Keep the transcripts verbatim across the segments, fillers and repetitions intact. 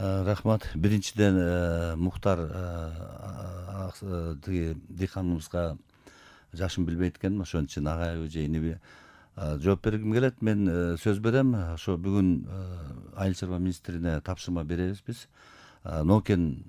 Рахмат. Биринчиден Мухтар тиги дыйканыбызга жашын билбейт экен, ошон үчүн агайбы же иниби жооп бергим келет. Мен сөз берем. Ошо бүгүн Айыл чарба министрине тапшырма беребиз биз. Нокен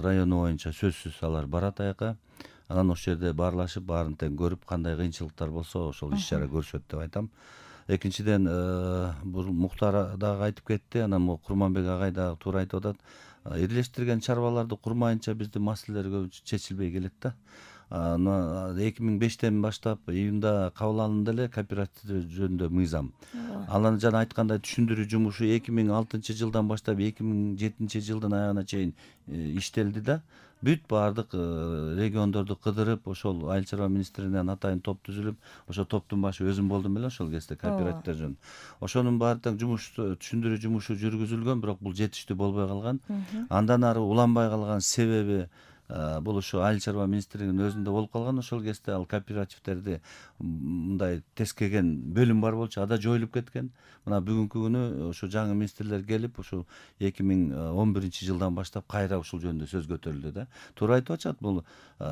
району боюнча сөзсүз алар барат аяка. Анан ошол жерде баарлашып, баарын тең көрүп, кандай кыйынчылыктар болсо ошол иш чара көрүшөт деп айтам. Экинчиден, бул Мухтар дагы айтып кетти, анан могу Курманбек агай дагы туура айтып атат. Бирлештирген чарбаларды курмайынча биздин маселелер көп чечилбей келет да. эки миң бештен баштап июнда кабыл алынды эле кооператив жөнүндө мыйзам. Анан жана айткандай түшүндүрүү жумушу эки миң алтынчы жылдан баштап эки миң жетинчи жылдын аягына чейин иштелди да. Бүт баардык региондорду кыдырып, ошол Айыл чарба министринен атайын топ түзүлүп, ошо топтун башы өзүм болдум эле ошол кезде кооперативдер жөнүндө. Ошонун баары тең жумуш түшүндүрүү жумушу жүргүзүлгөн, бирок бул жетиштүү болбой калган. Андан ары уланбай калган себеби бул ушу Айыл чарба министрлигинин өзүндө болуп калган. Ошол кезде ал кооперативдерди мындай тескеген бөлүм бар болчу, ада жоюлуп кеткен. Мына бүгүнкү күнү ошо жаңы министрлер келип, ушул эки миң он биринчи жылдан баштап кайра ушул жөнүндө сөз көтөрүлдү да. Туура айтып атышат, бул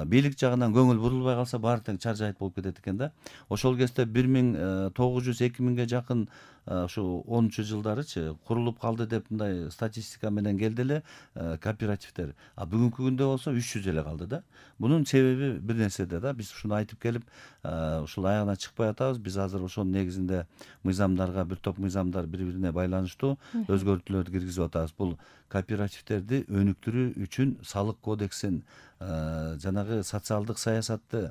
бийлик жагынан көңүл бурулбай калса баары тең чаржайыт болуп кетет экен да. Ошол кезде бир миң тогуз жүз эки миңге жакын ушу онунчу жылдарычы курулуп калды деп мындай статистика менен келди эле кооперативдер. А бүгүнкү күндө болсо үч жүз эле калды да. Бунун себеби бир нерседе да. Биз ушуну айтып келип, ушул аягына чыкпай атабыз. Биз азыр ошонун негизинде мыйзамдарга, бир топ мыйзамдар бири-бирине байланыштуу өзгөртүүлөрдү киргизип атабыз. Бул кооперативдерди өнүктүрүү үчүн салык кодексин, жанагы социалдык саясатты,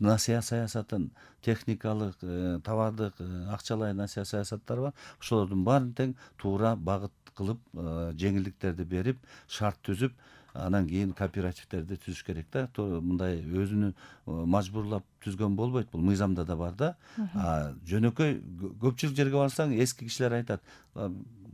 насыя саясатын, техникалык, товардык, акчалай насыя саясаттары бар. Ошолордун баарын тең туура багыт кылып, жеңилдиктерди берип, шарт түзүп, анан кийин кооперативдерди түзүш керек да. Мындай өзүнү мажбурлап түзгөн болбойт. Бул мыйзамда да бар да. Жөнөкөй көпчүлүк жерге барсаң, эски кишилер айтат,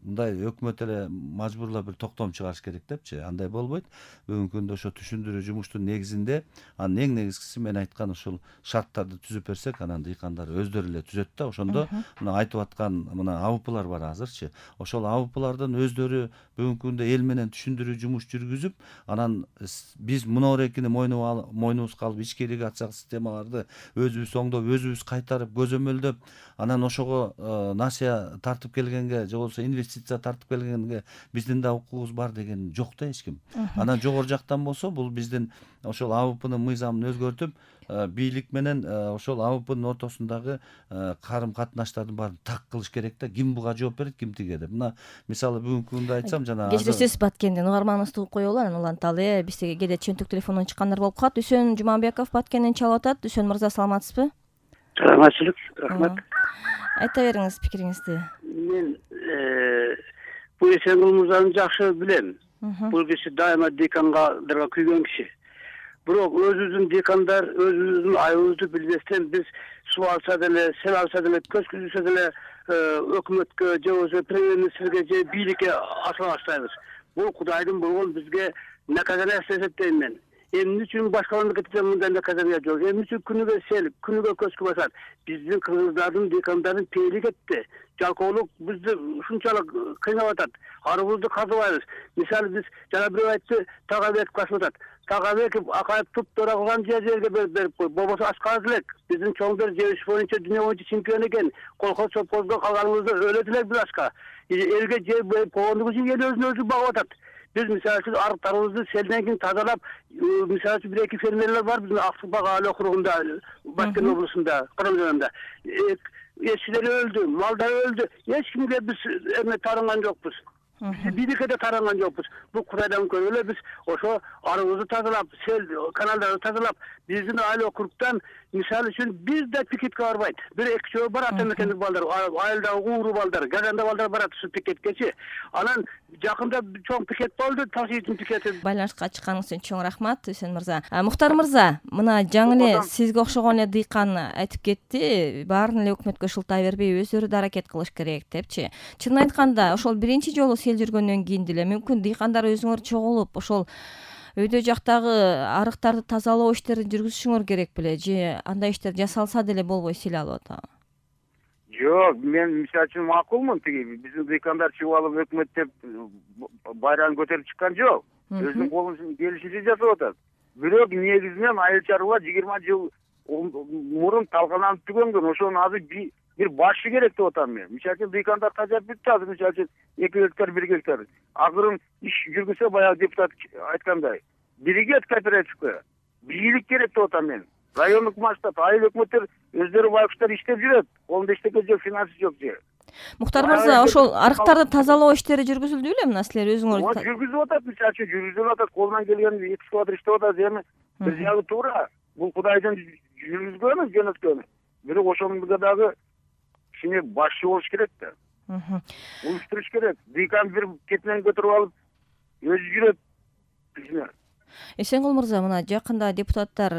мындай өкмөт эле мажбурлап бир токтом чыгарыш керек депчи. Андай болбойт. Бүгүнкү күндө ошо түшүндүрүү жумуштун негизинде, анын эң негизгиси мен айткан ушул шарттарды түзүп берсек, анан дыйкандар өздөрү эле түзөт да. Ошондо мына айтып аткан мына АВПлар бар азырчы. Ошол АВПлардын өздөрү бүгүнкү күндө эл менен түшүндүрүү жумуш жүргүзүп, анан биз мунорекини мойнубузга алып ички ирригациялык системаларды өзүбүз оңдоп, өзүбүз кайтарып, көзөмөлдөп, анан ошого насыя тартып келгенге, же болбосо инвестиция тартып келгенге биздин да укугубуз бар деген жок да эч ким. Анан жогору жактан болсо, бул биздин ошол АВПнын мыйзамын өзгөртүп, бийлик менен ошол АВПнын ортосундагы карым катнаштардын баарын так кылыш керек да. Ким буга жооп берет, ким тиге деп. Мына мисалы бүгүнкү күндө айтсам, жана кечиресиз Баткенден угарманыбызды угуп коелу, анан уланталы. Бизге кээде чөнтөк телефондон чыккандар болуп калат. Үсөн Жуманбеков Баткенден чалып атат. Үсөн мырза, саламатсызбы? Саламатчылык, рахмат. Айта бериңиз пикириңизди. Мен бул Эсенгул мырзаны жакшы билем. Бул киши дайыма дыйкандарга күйгөн киши. Бирок өзүбүздүн дыйкандар өзүбүздүн айыбыбызды билбестен биз суу алса деле, сел алса деле, көз күзүсө деле өкмөткө же болбосо премьер-министрге же бийликке асыла баштайбыз. Бул Кудайдын болгон бизге наказаниясы деп эсептейм мен. Эмне үчүн башка мамлекетте мындай наказания жок? Эмне үчүн күнүгө сел, күнүгө көчкү басат? Биздин кыргыздардын, дыйкандардын пейили кетти. Жалкоолук бизди ушунчалык кыйнап атат. Арыбызды казыбайбыз. Мисалы биз жана бирөө айтты, Тагабек касып атат. Тагабеков акайып туп-туура кылган жерге берип кой. Болбосо ашказ элек. Биздин чоңдор жебиш боюнча дүйнө боюнча чемпион экен. Колхоз совхозго калганыбызда өлөт элек бир ашка. Элге жер берип койгондугу үчүн эл өзүн өзү багып атат. Биз мисалы үчүн арыктарыбызды селден кийин тазалап, мисалы үчүн бир эки фермерлер бар биздин Аксубак айыл округунда, Баткен облусунда, Кырым районунда. Эчилер өлдү, малдар өлдү. Эч кимге биз эме тарынган жокпуз. Бийликке да таранган жокпуз. Бул Кудайдан көрүп эле биз ошо арыбызды тазалап, сел каналдарды тазалап, биздин айыл округтан мисалы үчүн бир да пикетке барбайт. Бир эки жөө бар ата мекендик балдар, айылдагы ууру балдар, газанда балдар барат ушу пикеткечи. Анан жакында чоң пикет болду, Ташкенттин пикети. Байланышка чыкканыңыз үчүн чоң рахмат, Үсөн мырза. Мухтар мырза, мына жаңы эле сизге окшогон эле дыйкан айтып кетти, баарын эле өкмөткө шылтай бербей, өздөрү да аракет кылыш керек депчи. Чынын айтканда, ошол биринчи жолу сел жүргөндөн кийин деле мүмкүн дыйкандар өзүңөр чогулуп, ошол өйдө жактагы арыктарды тазалоо иштерин жүргүзүшүңөр керек беле, же андай иштер жасалса деле болбой сел алып атабы? Жок, мен мисалы үчүн макулмун, тиги биздин дыйкандар чыгып алып өкмөт деп байрагын көтөрүп чыккан жок. Өзүнүн колунун келишинче жасап атат. Бирок негизинен айыл чарба жыйырма жыл мурун талкаланып түгөнгөн. Ошонун азыр бир башы керек деп атам мен. Мисалы үчүн дыйкандар тажап бүтү азыр, мисалы үчүн эки гектар, бир гектар. Акырын иш жүргүзсө, баягы депутат айткандай, биригет кооперативге бийлик керек деп атам мен. Райондук масштаб, айыл өкмөттөр өздөрү байкуштар иштеп жүрөт. Колунда эчтеке жок, финансы жок же. Мухтар мырза, ошол арыктарды тазалоо иштери жүргүзүлдү беле? Мына силер өзүңөр жүргүзүп атат, мисалы үчүн жүргүзүп атат, колунан келген экскаватор иштеп атат, эми бир жагы туура. Бул Кудайдын жүргүзгөнү, жөнөткөнү. Бирок ошонунга дагы кичине башчы болуш керек да. Уюштуруш керек. Дыйкан бир кетинен көтөрүп алып өзү жүрөт. Эсенгул мырза, мына жакында депутаттар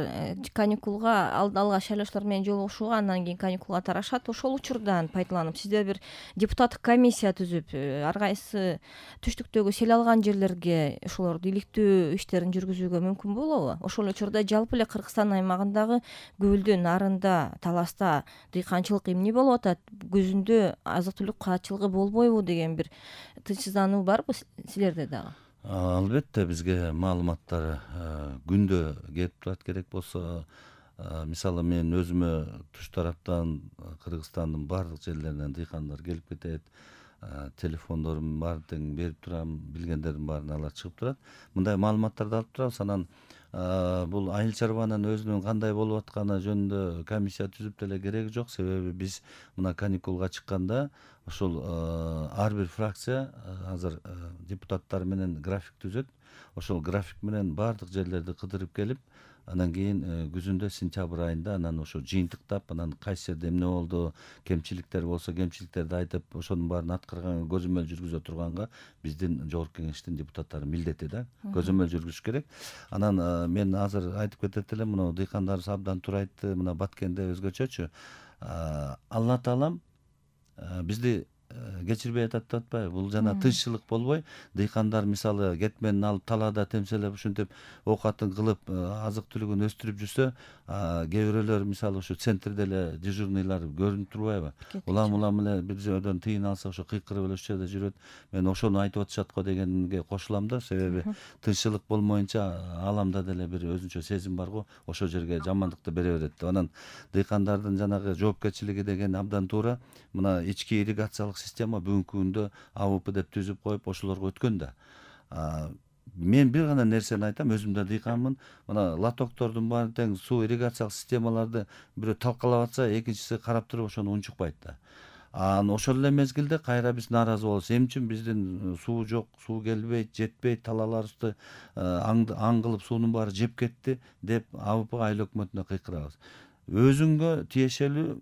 каникулга алгач шайлоочулар менен жолугушууга, андан кийин каникулга тарашат. Ошол учурдан пайдаланып сиздер бир депутаттык комиссия түзүп, ар кайсы түштүктөгү сел алган жерлерге ошолорду иликтөө иштерин жүргүзүүгө мүмкүн болобу? Ошол учурда жалпы эле Кыргызстан аймагындагы Көлдү, Нарында, Таласта дыйканчылык эмне болуп атат? Көзүндө азык түлүк каатчылыгы болбойбу деген бир тынчсыздануу барбы силерде дагы? Албетте бизге маалыматтар күндө келип турат. Керек болсо, мисалы мен өзүмө туш тараптан Кыргызстандын баардык жерлеринен дыйкандар келип кетет. Телефондорум бар, тең берип турам, билгендердин баарын алар чыгып турат. Мындай маалыматтарды алып турабыз. Анан бул айыл чарбанын өзүнүн кандай болуп атканы жөнүндө комиссия түзүп деле кереги жок. Себеби биз мына каникулга чыкканда ошол ар бир фракция азыр депутаттар менен график түзөт. Ошол график менен баардык жерлерди кыдырып келип, анан кийин күзүндө сентябрь айында анан ошо жыйынтыктап, анан кайсы жерде эмне болду, кемчиликтер болсо кемчиликтерди айтып, ошонун баарын аткарганга көзөмөл жүргүзө турганга биздин жогорку кеңештин депутаттары милдети да, көзөмөл жүргүзүш керек. Анан мен азыр айтып кетет элем, мына дыйкандарыбыз абдан туура айтты, мына Баткенде өзгөчөчү. Алла таалам бизди кечирбей атат деп атпайбы? Бул жана тынччылык болбой, дыйкандар мисалы кетменин алып талаада темселеп ушинтип оокатын кылып, азык түлүгүн өстүрүп жүрсө, кээ бирөөлөр мисалы ушу центрде эле дежурныйлар көрүнүп турбайбы? Улам улам эле бир жерден тыйын алса ошо кыйкырып эле ошол жерде жүрөт. Мен ошону айтып атышат го дегенге кошулам да, себеби тынччылык болмоюнча аламда деле бир өзүнчө сезим бар го, ошол жерге жамандыкты бере берет деп. Анан дыйкандардын жанагы жоопкерчилиги деген абдан туура. Мына ички ирригациялык система бүгүнкү күндө А В П деп түзүп коюп ошолорго өткөн да. Мен бир гана нерсени айтам, өзүм да дыйканмын. Мына лотоктордун баары тең суу ирригациялык системаларды бирөө талкалап атса, экинчиси карап туруп ошону унчукпайт да. Анан ошол эле мезгилде кайра биз нааразы болобуз. Эмне үчүн биздин суу жок, суу келбейт, жетпейт, талааларыбызды аң кылып суунун баары жеп кетти деп А В П айыл өкмөтүнө кыйкырабыз. Өзүңгө тиешелүү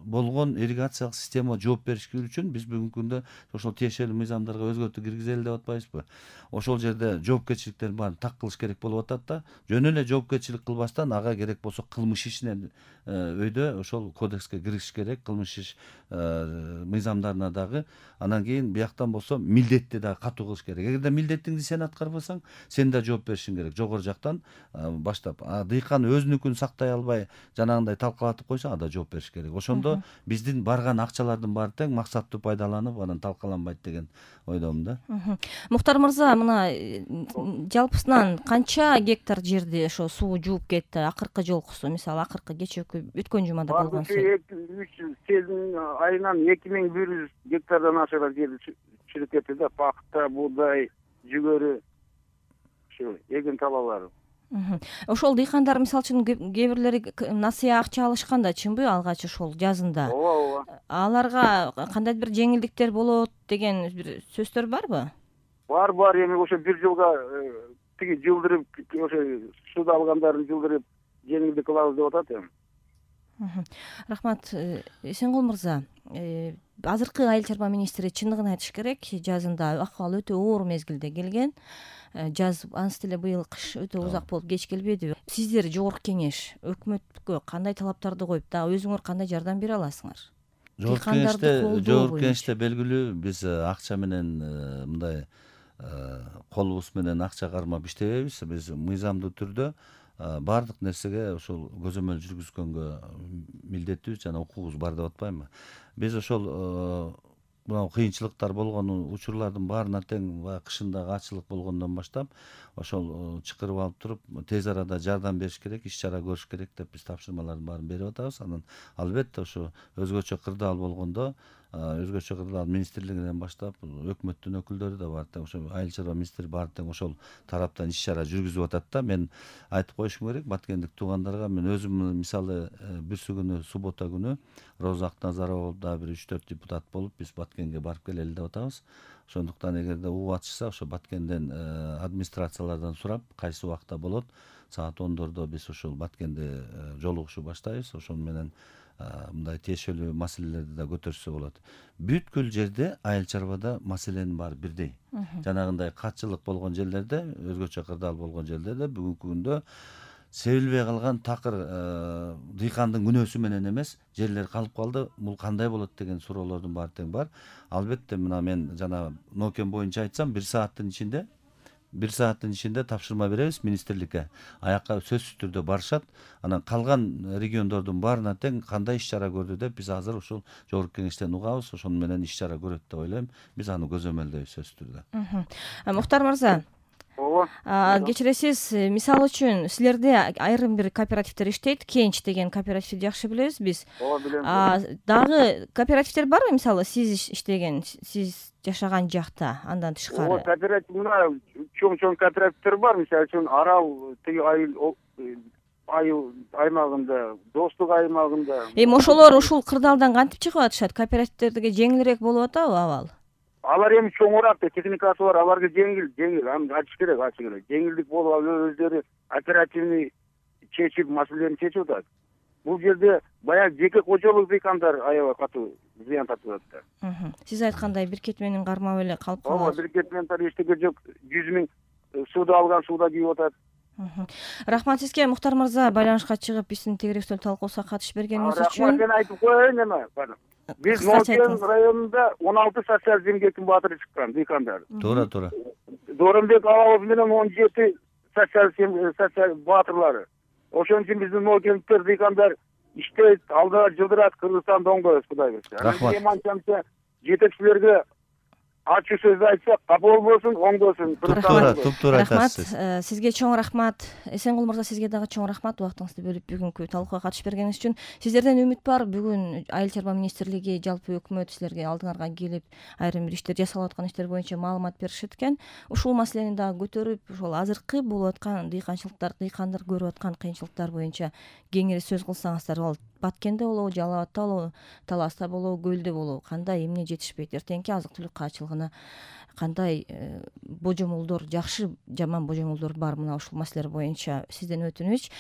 болгон ирригациялык система жооп бериш үчүн биз бүгүнкү күндө ошол тиешелүү мыйзамдарга өзгөртүү киргизели деп атпайбызбы? Ошол жерде жоопкерчиликтердин баарын так кылыш керек болуп атат да. Жөн эле жоопкерчилик кылбастан ага керек болсо кылмыш ишинен өйдө ошол кодекске киргизиш керек, кылмыш иш мыйзамдарына дагы. Анан кийин бияктан болсо милдетти дагы катуу кылыш керек. Эгерде милдеттиңди сен аткарбасаң, сен да жооп беришиң керек. Жогору жактан баштап. Дыйкан өзүнүкүн сактай албай, жанагындай талкалатып койсо, ада жооп бериш керек. Ошондо биздин барган акчалардын баары тең максаттуу пайдаланып, анан талкаланбайт деген ойдомун да. Мухтар мырза, мына жалпысынан канча гектар жерди ошо суу жууп кетти акыркы жолкусу, мисалы акыркы кечээкү өткөн жумада болгон суу? үч сезин айынан эки миң бир жүз гектардан ашыган жерди чырып кетти да, пахта, буудай, жүгөрү, ушу эгин талаалары. Ошол дыйкандар мисалы үчүн кээ бирлери насыя акча алышкан да, чынбы алгач ошол жазында? Ооба, ооба. Аларга кандайдыр бир жеңилдиктер болот деген бир сөздөр барбы? Бар, бар. Эми ошо бир жылга тиги жылдырып, ошо суда алгандарын жылдырып жеңилдик кылабыз деп атат эми. Рахмат. Эсенгул мырза, азыркы айыл чарба министри чындыгын айтыш керек, жазында акыбал өтө оор мезгилде келген. Жаз ансы деле быйыл кыш өтө узак болуп кеч келбедиби? Сиздер жогорку кеңеш өкмөткө кандай талаптарды коюп, да өзүңөр кандай жардам бере аласыңар? Жогорку кеңеште, жогорку кеңеште белгилүү, биз акча менен мындай колубуз менен акча кармап иштебейбиз. Биз мыйзамдуу түрдө баардык нерсеге ошол көзөмөл жүргүзгөнгө милдеттүүбүз жана укугубуз бар деп атпаймынбы. Биз ошол мына кыйынчылыктар болгон учурлардын баарына тең баягы кышындагы ачылык болгондон баштап ошол чакырып алып туруп тез арада жардам бериш керек, иш чара көрүш керек деп биз тапшырмалардын баарын берип атабыз. Анан албетте ошо өзгөчө кырдаал болгондо өзгөчө кырдаал министрлигинен баштап өкмөттүн өкүлдөрү да баары тең ошо айыл чарба министри баары тең ошол тараптан иш чара жүргүзүп атат да. Мен айтып коюшум керек баткендик туугандарга, мен өзүм мисалы бүрсү күнү суббота күнү Роза Акназарова дагы бир үч төрт депутат болуп биз Баткенге барып келели деп атабыз. Ошондуктан эгерде угуп атышса ошо Баткенден администрациялардан сурап кайсы убакта болот, саат ондордо биз ошол Баткенде жолугушуу баштайбыз. Ошону менен мындай тиешелүү маселелерди да көтөрүшсө болот. Бүткүл жерде айыл чарбада маселенин баары бирдей. Жанагындай катчылык болгон жерлерде, өзгөчө кырдаал болгон жерлерде бүгүнкү күндө себилбей калган такыр дыйкандын күнөөсү менен эмес, жерлер калып калды, бул кандай болот деген суроолордун баары тең бар. Албетте мына мен жана нокен боюнча айтсам, бир сааттын ичинде бир сааттын ичинде тапшырма беребиз министрликке. Аяка сөзсүз түрдө барышат. Анан калган региондордун баарына тең кандай иш чара көрдү деп биз азыр ушул жогорку кеңештен угабыз. Ошону менен иш чара көрөт деп ойлойм. Биз аны көзөмөлдөйбүз сөзсүз түрдө. Мухтар мырза, ооба, кечиресиз, мисалы үчүн силерде айрым бир кооперативдер иштейт, Кенч деген кооперативди жакшы билебиз биз. ооба, билем. Дагы кооперативдер барбы, мисалы сиз иштеген, сиз жашаган жакта, андан тышкары? Ооба, кооператив мына чоң-чоң кооперативдер бар. Мисалы үчүн Арал тиги айыл айыл аймагында, Достук аймагында. Эми ошолор ушул кырдаалдан кантип чыгып атышат? Кооперативтерге жеңилирээк болуп атабы абал? Алар эми чоңураак да, техникасы бар, аларга жеңил, жеңил, аны ачыш керек, ачык эле. Жеңилдик болуп алып өздөрү оперативный чечип, маселени чечип атат. Бул жерде баягы жеке кожолук дыйкандар аябай катуу зыян тартып атат да. Сиз айткандай бир кетменин кармап эле калып калат. Ооба, бир кетмен эчтеке жок, жүз миң сууда алган сууда күйүп атат. Рахмат сизге, Мухтар мырза, байланышка чыгып биздин тегерек үстөл талкуусуна катышып бергениңиз үчүн. Рахмат, мен айтып коеюн эме. Биз Нокен районунда он алты социалдык эмгектин баатыры чыккан дыйкандар. Туура, туура. Доронбек Алабов менен он жети социалдык баатырлары. Ошон үчүн биздин Нокендиктер дыйкандар иштейт, алдыга жылдырат, Кыргызстанда оңдойбуз, Кудай берсе. Рахмат. Жетекчилерге ачуу сөз айтсак, капа болбосун, оңдосун. Туптуура, туптуура айтасыз. Рахмат, сизге чоң рахмат. Эсенгул мырза, сизге дагы чоң рахмат убактыңызды бөлүп бүгүнкү талкууга катышып бергениңиз үчүн. Сиздерден үмүт бар, бүгүн айыл чарба министрлиги, жалпы өкмөт силерге алдыңарга келип, айрым бир иштер жасалып аткан иштер боюнча маалымат беришет экен. Ушул маселени дагы көтөрүп, ошол азыркы болуп аткан дыйканчылыктар, дыйкандар көрүп аткан кыйынчылыктар боюнча кеңири сөз кылсаңыздар, ал Баткенде болобу, Жалал Абадта болобу, Таласта болобу, Көлдө болобу, кандай эмне жетишпейт, эртеңки азык түлүк каачылыгына кандай божомолдор, жакшы жаман божомолдор бар, мына ушул маселелер боюнча сизден өтүнүч.